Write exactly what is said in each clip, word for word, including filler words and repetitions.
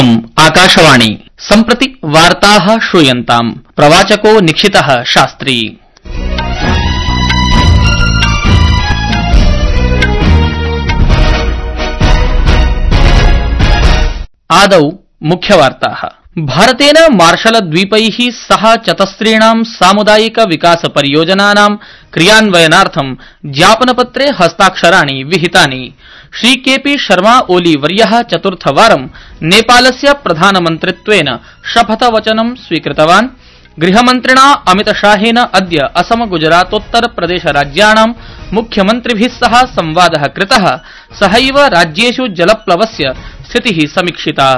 इदम् आकाशवाणी सम्प्रति वार्ताः श्रूयन्ताम्। प्रवाचको निक्षितः शास्त्री। आदौ मुख्यवार्ताः। भारतेन मार्शल द्वीपैः सह चतस्रीणां सामुदायिक विकास परियोजनानां क्रियान्वयनार्थं ज्ञापनपत्रे हस्ताक्षराणि विहितानि। श्री केपी शर्मा ओली वर्यः चतुर्थवारं नेपालस्य प्रधानमन्त्रित्वेन शपथवचनं स्वीकृतवान्। गृहमन्त्रिणा अमितशाहेन अद्य असम गुजरातोत्तर प्रदेश राज्याणां मुख्यमन्त्रिभिः सह संवादः कृतः। सहैव राज्येषु जलप्लवस्य स्थितिः समीक्षिता।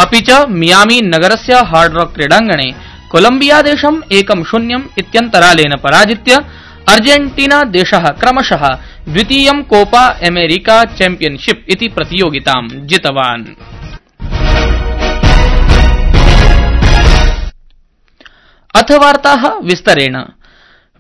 अपि च मियामी नगरस्य हार्ड रॉक क्रीडाङ्गणे कोलम्बियादेशम् एकं शून्यम् इत्यन्तरालेन पराजित्य अर्जेंटीना देशः क्रमशः द्वितीयं कोपा अमेरिका चैम्पियनशिप इति प्रतियोगितां जितवान्। अथ वार्ताः विस्तरेण।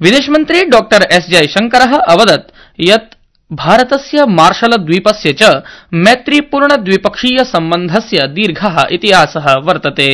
विदेशमन्त्री डॉक्टर एस जयशंकरः अवदत् यत् भारतस्य मार्शल द्वीपस्य च मैत्रीपूर्ण द्विपक्षीय सम्बन्धस्य दीर्घः इतिहासः वर्तते,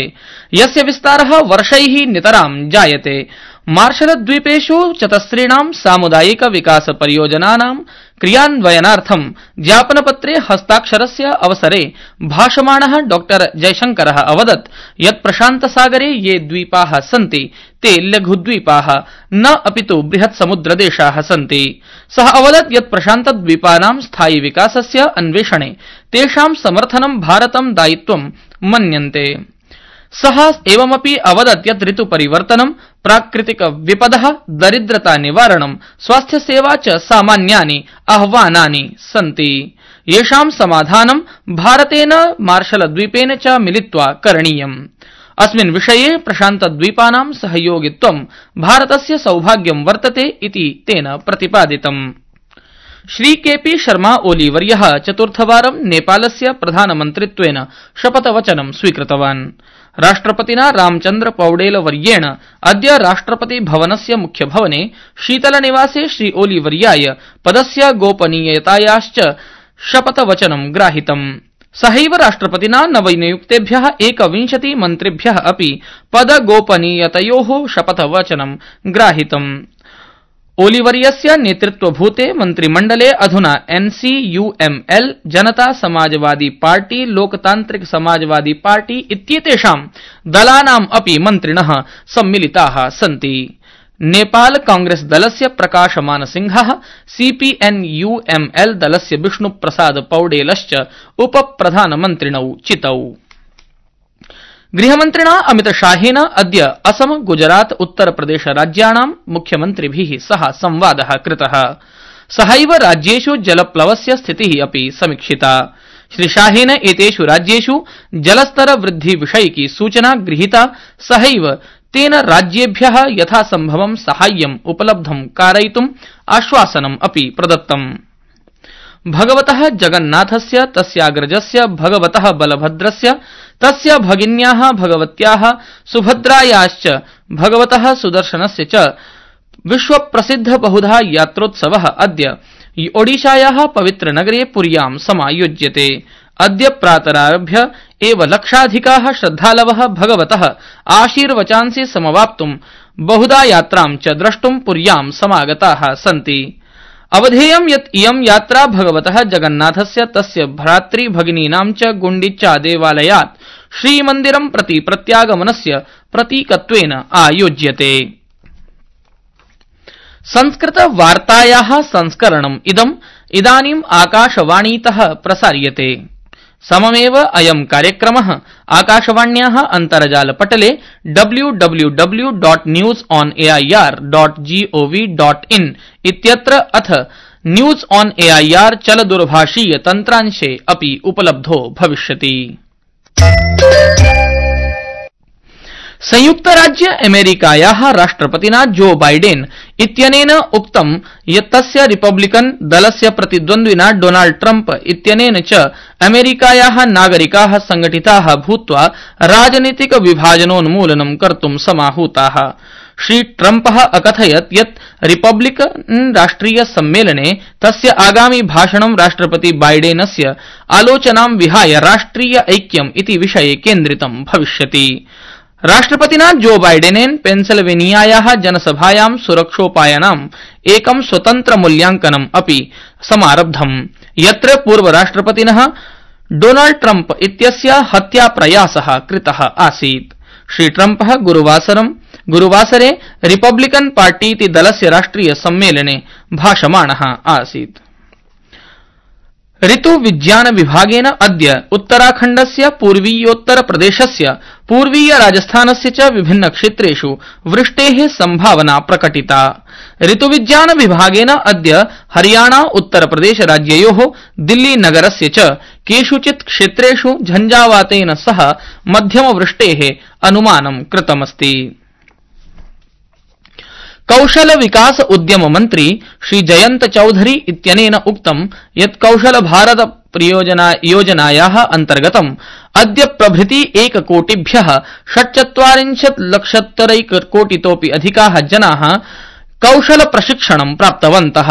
यस्य विस्तारः वर्षैः नितरां जायते। मार्शल द्वीपेषु चतस्रीणां सामुदायिक विकास परियोजनानां क्रियान्वयनार्थं ज्ञापनपत्रे हस्ताक्षरस्य अवसरे भाषमाणः डॉक्टर जयशंकरः अवदत् यत् प्रशान्तसागरे ये द्वीपाः सन्ति ते लघुद्वीपाः न अपितु बृहत् समुद्रदेशाः सन्ति। सः अवदत् यत् प्रशान्तद्वीपानां स्थायि विकासस्य अन्वेषणे तेषां समर्थनं भारतं दायित्वं मन्यन्ते। सः एवमपि अवदत् यत् ऋतुपरिवर्तनं, प्राकृतिक विपदः, दरिद्रता निवारणं, स्वास्थ्यसेवा च सामान्यानि आह्वानानि सन्ति, येषां समाधानं भारतेन मार्शलद्वीपेन च मिलित्वा करणीयम्। अस्मिन् विषये प्रशान्तद्वीपानां सहयोगित्वं भारतस्य सौभाग्यं वर्तते इति तेन प्रतिपादितम्। श्री केपी शर्मा ओली वर्यः चतुर्थवारं नेपालस्य प्रधानमन्त्रित्वेन शपथवचनं स्वीकृतवान्। राष्ट्रपतिना रामचन्द्र पौडेल वर्येण अद्य राष्ट्रपति भवनस्य मुख्यभवने शीतलनिवासे श्री ओली वर्याय पदस्य गोपनीयतायाश्च शपथवचनं ग्राहितम्। सहैव राष्ट्रपतिना नवनियुक्तेभ्यः एकविंशति मन्त्रिभ्यः अपि पदगोपनीयतयोः शपथवचनं ग्राहितम्। ओलीवर्यस्य नेतृत्वभूते मन्त्रिमण्डले अधुना एनसीयूएमएल, जनता समाजवादी पार्टी, लोकतान्त्रिक समाजवादी पार्टी इत्येतेषां दलानाम् अपि मन्त्रिणः सम्मिलिताः सन्ति। नेपाल कांग्रेस दलस्य प्रकाश मानसिंहः, सीपीएनयूएमएल दलस्य विष्णुप्रसाद पौडेलश्च उपप्रधानमन्त्रिणौ चितौ। गृहमन्त्रिणा अमितशाहेन अद्य असम गुजरात उत्तर प्रदेश राज्याणां मुख्यमन्त्रिभिः सह संवादः कृतः। सहैव राज्येषु जलप्लवस्य स्थितिः अपि समीक्षिता। श्रीशाहेन एतेषु राज्येषु जलस्तर वृद्धि विषयिकी सूचना गृहीता। सहैव तेन राज्येभ्यः यथासम्भवं साहाय्यम् उपलब्धं कारयितुम् आश्वासनम् अपि प्रदत्तम्। भगवतः जगन्नाथस्य, तस्याग्रजस्य भगवतः बलभद्रस्य, तस्य भगिन्याः भगवत्याः सुभद्रायाश्च भगवतः सुदर्शनस्य च विश्वप्रसिद्ध बहुधा यात्रोत्सवः अद्य ओडिशायाः पवित्रनगरे पुर्यां समायोज्यते। अद्य प्रातरारभ्य एव लक्षाधिकाः श्रद्धालवः भगवतः आशीर्वचांसि समवाप्तुं बहुधा यात्रां च द्रष्टुं पुर्यां समागताः सन्ति। अवधेयं यत् इयं यात्रा भगवतः जगन्नाथस्य, तस्य भ्रातृभगिनीनां च गुण्डिच्चा देवालयात् श्रीमन्दिरं प्रति प्रत्यागमनस्य प्रतीकत्वेन आयोज्यते। संस्कृत वार्तायाः संस्करणम् इदम् इदानीम् आकाशवाणीतः प्रसार्यते। सममेव अयं कार्यक्रमः आकाशवाण्याः अन्तर्जालपटले W W W dot news on A I R dot G O V dot in इत्यत्र अथ न्यूज ऑन एआईआर चलदूरभाषीय तन्त्रांशे अपि उपलब्धो भविष्यति। संयुक्तराज्य अमेरिकायाः राष्ट्रपतिना जो बाइडेन इत्यनेन उक्तं यत् तस्य रिपब्लिकन दलस्य प्रतिद्वन्द्विना डोनाल्ड ट्रम्प इत्यनेन च अमेरिकायाः नागरिकाः संघटिताः भूत्वा राजनीतिक विभाजनोन्मूलनं कर्तुं समाहूताः। श्री ट्रम्पः अकथयत् यत् रिपब्लिकन् राष्ट्रिय सम्मेलने तस्य आगामि भाषणं राष्ट्रपति बाइडेनस्य आलोचनां विहाय राष्ट्रिय ऐक्यम् इति विषये केन्द्रितं भविष्यति। राष्ट्रपतिना जो बाइडेनेन पेन्सिल्वेनियायाः जनसभायां सुरक्षोपायानाम् एकं स्वतन्त्र मूल्यांकनम् अपि समारब्धम्, यत्र पूर्वराष्ट्रपतिनः डोनाल्ड ट्रम्प इत्यस्य हत्याप्रयासः कृतः आसीत्। श्री ट्रम्पः गुरुवासरं गुरुवासरे रिपब्लिकन् पार्टी इति दलस्य राष्ट्रिय सम्मेलने भाषमाणः आसीत्। ऋतुविज्ञान विभागेन अद्य उत्तराखण्डस्य पूर्वीयोत्तर प्रदेशस्य पूर्वीय राजस्थानस्य च विभिन्न क्षेत्रेषु वृष्टेः संभावना प्रकटिता। ऋतुविज्ञान विभागेन अद्य हरियाणा उत्तर प्रदेश राज्ययोः दिल्ली नगरस्य च केषुचित् क्षेत्रेषु झञ्झावातेन सह मध्यम वृष्टेः अनुमानं कृतमस्ति। कौशल विकास उद्यम मंत्री श्री जयंत चौधरी इत्यनेन उक्तं यत् कौशल भारत योजनायाः अन्तर्गतम् अद्य प्रभृति एककोटिभ्यः षट्चत्वारिंशत् लक्षोत्तरैककोटितोऽपि अधिकाः जनाः कौशल प्रशिक्षणं प्राप्तवन्तः।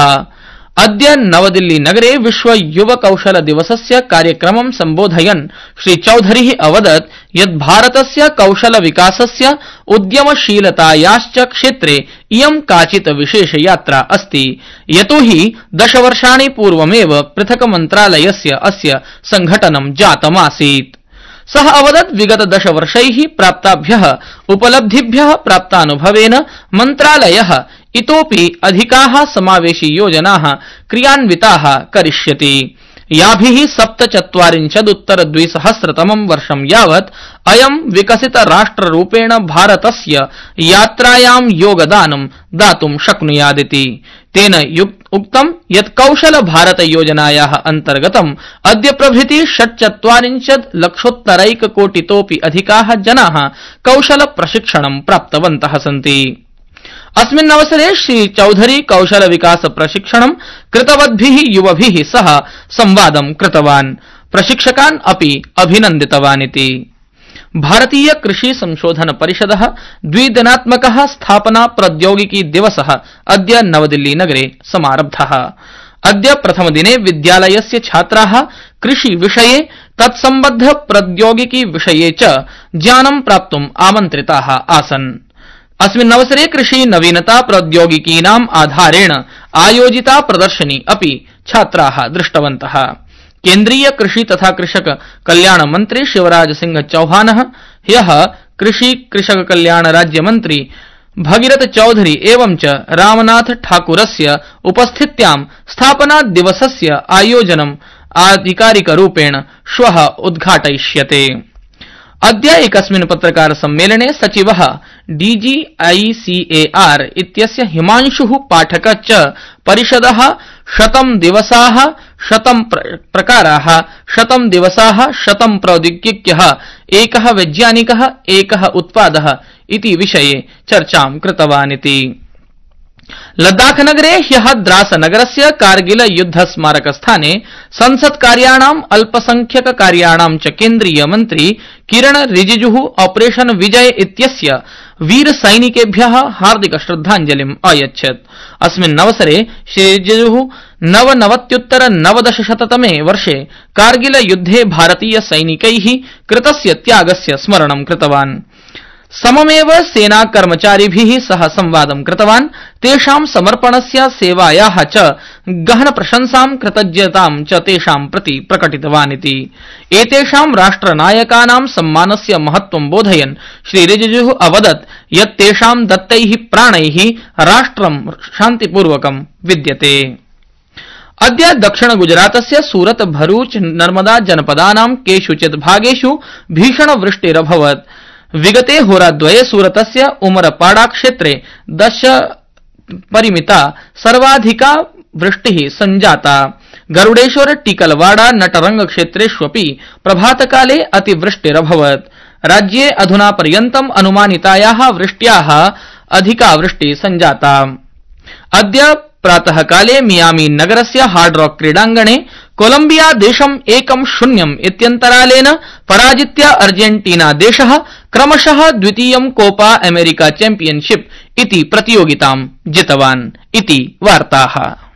अद्य नवदिल्ली नगरे विश्व युव कौशल दिवसस्य कार्यक्रमं सम्बोधयन् श्री चौधरी अवदत् यत् भारतस्य कौशल विकासस्य उद्यमशीलतायाश्च क्षेत्रे इयं काचित् विशेष यात्रा अस्ति, यतोहि दशवर्षाणि पूर्वमेव पृथक् मन्त्रालयस्य अस्य संघटनं जातमासीत्। सः अवदत् विगत दशवर्षैः प्राप्ताभ्यः उपलब्धिभ्यः प्राप्तानुभवेन मन्त्रालयः इतोपि अधिकाः समावेशी योजनाः क्रियान्विताः करिष्यति, याभिः सप्तचत्वारिंशदुत्तर द्विसहस्रतमं वर्षं यावत् अयं विकसित राष्ट्ररूपेण भारतस्य यात्रायां योगदानं दातुं शक्नुयादिति। तेन उक्तं यत् कौशल भारत योजनायाः अन्तर्गतम् अद्य प्रभृति षट्चत्वारिंशत् लक्षोत्तरैककोटितोऽपि अधिकाः जनाः कौशल प्रशिक्षणं प्राप्तवन्तः सन्ति। अस्मिन् अवसरे श्री चौधरी कौशल विकास प्रशिक्षणं कृतवद्भिः युवभिः सह संवादं कृतवान्, प्रशिक्षकान् अपि अभिनन्दितवानिति। भारतीय कृषि संशोधन परिषदः द्विदिनात्मकः स्थापना प्रौद्योगिकी दिवसः अद्य नवदिल्ली नगरे समारब्धः। अद्य प्रथमदिने विद्यालयस्य छात्राः कृषि विषये तत्सम्बद्ध प्रौद्योगिकी विषये च ज्ञानं प्राप्तुम् आमन्त्रिताः आसन्। अस्मिन् अवसरे कृषि नवीनता प्रौद्योगिकीनाम् आधारेण आयोजिता प्रदर्शनी अपि छात्राः दृष्टवन्तः। केन्द्रीय कृषि तथा कृषक कल्याण मंत्री शिवराज सिंह चौहानः ह्यः कृषि कृषक कल्याण राज्य मंत्री भगीरथ चौधरी एवं च रामनाथ ठाकुरस्य उपस्थित्यां स्थापना दिवसस्य आयोजनम् आधिकारिकरूपेण श्वः उद्घाटयिष्यते। अद्य एकस्मिन् पत्रकार सम्मेलने सचिवः डीजीआईसीएआर इत्यस्य हिमांशुः पाठकः च परिषदः शतं दिवसाः शतं प्रकाराः शतं दिवसाः शतं प्रौद्योगिक्यः एकः वैज्ञानिकः एकः उत्पादः इति विषये चर्चां कृतवानिति। लद्दाख नगरे ह्यः द्रास नगरस्य कारगिल युद्ध स्मारक स्थाने संसत् कार्याणाम् अल्पसंख्यक कार्याणां च केन्द्रीय मन्त्री किरण रिजिजुः ऑपरेशन विजय इत्यस्य वीर सैनिकेभ्यः हार्दिक श्रद्धाञ्जलिम् अयच्छत्। अस्मिन् अवसरे श्री रिजिजुः नवनवत्युत्तर नवदशशततमे वर्षे कारगिल युद्धे भारतीय सैनिकैः कृतस्य त्यागस्य स्मरणं कृतवान्। सममेव सेना कर्मचारिभिः सह संवादं कृतवान्, तेषां समर्पणस्य सेवायाः च गहन प्रशंसां कृतज्ञतां च तेषां प्रति प्रकटितवानिति। एतेषां राष्ट्रनायकानां सम्मानस्य महत्त्वं बोधयन् श्री रिजिजुः अवदत् यत् तेषां दत्तैः प्राणैः राष्ट्रं शान्तिपूर्वकं विद्यते। अद्य दक्षिण गुजरातस्य सूरत भरूच नर्मदा जनपदानां केषुचित् भागेषु भीषण वृष्टिरभवत्। विगते होराद्वये सूरतस्य उमरपाड़ा क्षेत्रे दश परिमिता सर्वाधिका वृष्टिः सञ्जाता। गरुडेश्वर टीकलवाड़ा नटरंग क्षेत्रेष्वपि प्रभातकाले अतिवृष्टिरभवत्। राज्ये अधुना पर्यन्तम् अनुमानितायाः वृष्ट्याः अधिका वृष्टिः सञ्जाता। अद्य प्रातः काले मियामी नगरस्य हार्ड रॉक क्रीडांगणे कोलंबिया देशम् एकं शून्यम् इत्यन्तरालेन पराजित्य अर्जेंटीना देशः क्रमशः द्वितीयं कोपा अमेरिका चैम्पियनशिप इति प्रतियोगितां जितवान् इति वार्ताः।